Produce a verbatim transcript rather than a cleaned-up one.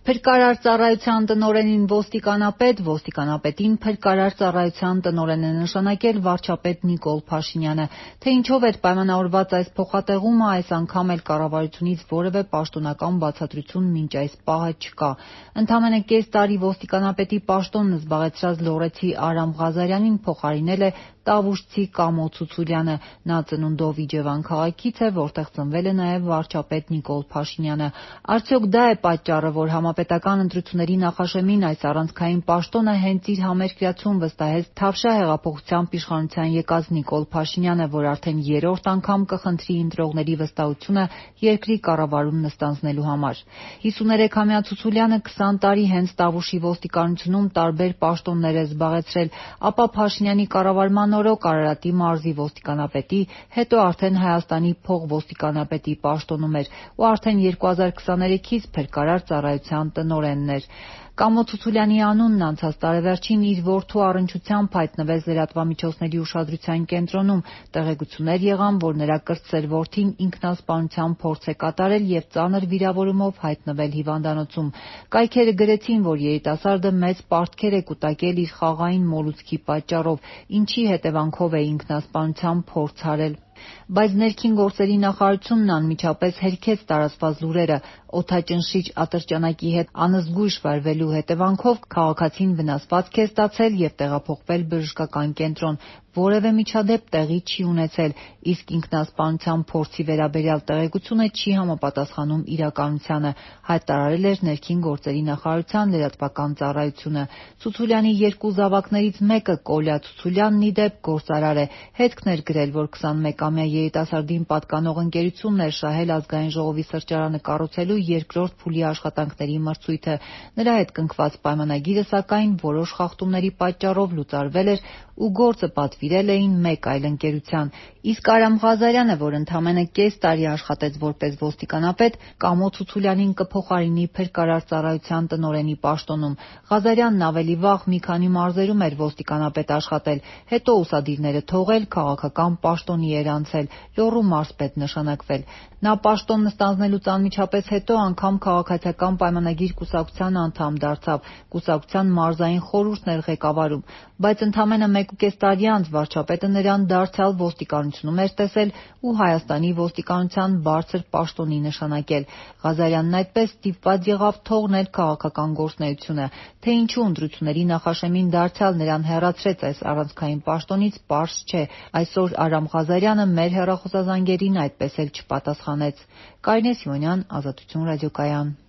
Փրկարար ծառայության տնօրենին ոստիկանապետ, ոստիկանապետին փրկարար ծառայության տնօրեն է նշանակել վարչապետ Նիկոլ Փաշինյանը։ Թե ինչով էր պայմանավորված այս փոխատեղումը, այս անգամ էլ կառավարությունից որևէ պաշտոնական բացատրություն մինչ այս պահը չկա։ Ընդամենը կես տարի ոստիկանապետի պաշտոնն զբաղեցրած լոռեցի Արամ Ղազարյանին փոխարինել է տավուշցի Կամո Ցուցուրյանը։ Նա ծնունդով Իջևան քաղաքից է, որտեղ ծնվել է նաև վարչապետ Նիկոլ Փաշինյանը։ Արդյոք դա է պատճառը, որ համապետական ընտրությունների նախաշեմին այս առանցքային պաշտոնը հենց իր համերկրացուն վստահեց Թավշյա հեղափոխությամբ իշխանության եկած Նիկոլ Փաշինյանը, որ արդեն երրորդ անգամ կխնդրի ընտրողների վստահությունը երկրի կառավարում նստանձնելու համար։ հիսուներեքամյա Ցուցուրյանը քսան տարի հենց Տավուշի ոստիկանությունում տարբեր պաշտոններ է զբաղեցրել, ապա Փաշինյանի կառավարման օրոք Արարատի մարզի ոստիկանապետի, հետո արդեն Հայաստանի փոխոստիկանապետի պաշտոնում էր ու արդեն երկու հազար քսաներեքից փրկարար ծառայության տնօրենն էր։ Կամո Ցուցուրյանի անունն անցած տարեվերջին իր որդու առնչությամբ հայտնվեց լրատվամիջոցների ուշադրության կենտրոնում։ Տեղեկություններ եղան, որ նրա կրտսեր որդին ինքնասպանության փորձ է կատարել և ծանր վիրավորումով հայտնվել հիվանդանոցում։ Կայքերը գրեցին, որ երիտասարդը մեծ պարտքեր է կուտակել իր խաղաղային մոլուցքի պատճառով, ինչի հետևանքով է ինքնասպանության փորձ արել։ Բայց ներքին գործերի նախարարությունն անմիջապես հերքեց տարածված լուրերը։ Օդաճնշիչ ատրճանակի հետ անզգույշ վարվելու հետևանքով քաղաքացին վնասվածք է ստացել և տեղափոխվել բժշկական կենտրոն։ Որևէ միջադեպ տեղի չի ունեցել, իսկ ինքնասպանության փորձի վերաբերյալ տեղեկությունը չի համապատասխանում իրականությանը, հայտարարել էր ներքին գործերի նախարարության լրատվական ծառայությունը։ Ցուցուրյանի երկու զավակներից մեկը՝ Կոլյա Ցուցուրյանն, ի դեպ, գործարար է։ Հետքն էր գրել, որ քսանմեկամյա երիտասարդին պատկանող ընկերությունն էր շահել Ազգային ժողովի սրճարանը կառուցելու երկրորդ փուլի աշխատանքների մրցույթը։ Նրա հետ կնքված պայմանագիրը, սակայն, որոշ խախտումների պատճառով լուծարվել էր ու գործը պատվիրել էին մեկ այլ ընկերության։ Իսկ Արամ Ղազարյանը, որ ընդամենը կես տարի աշխատեց որպես ոստիկանապետ, Կամո Ցուցուրյանին կփոխարինի փրկարար ծառայության տնօրենի պաշտոնում։ Ղազարյանն ավելի վաղ մի քանի մարզերում էր ոստիկանապետ աշխատել, հետո ուսադիրները թողել, քաղաքական պաշտոնի էր անցել, Լոռու մարզպետ նշանակվել։ Նա պաշտոն ստանձնելուց անմիջապես հետո անգամ քաղաքացիական պայմանագիր կուսակցության անդամ դարձավ, կուսակցության մարզային խորհուրդն էր ղեկավարում։ Բայց ընդամենը մեկուկես տարի անց վարչապետը նրան դարձյալ ոստիկանությունում էր տեսել ու Հայաստանի ոստիկանության բարձր պաշտոնի նշանակել։ Ղազարյանն այդպես ստիպված եղավ թողնել քաղաքական գործունեությունը։ Թե ինչու ընտրությունների նախաշեմին դարձյալ նրան հեռացրեց այս առանցքային պաշտոնից, պարզ չէ։ Այսօր Արամ Ղազարյանը մեր հեռախոսազանգերին այդպես էլ չպատասխանեց։ Կարինե Սիմոնյան, Ազատություն ռադիոկայան։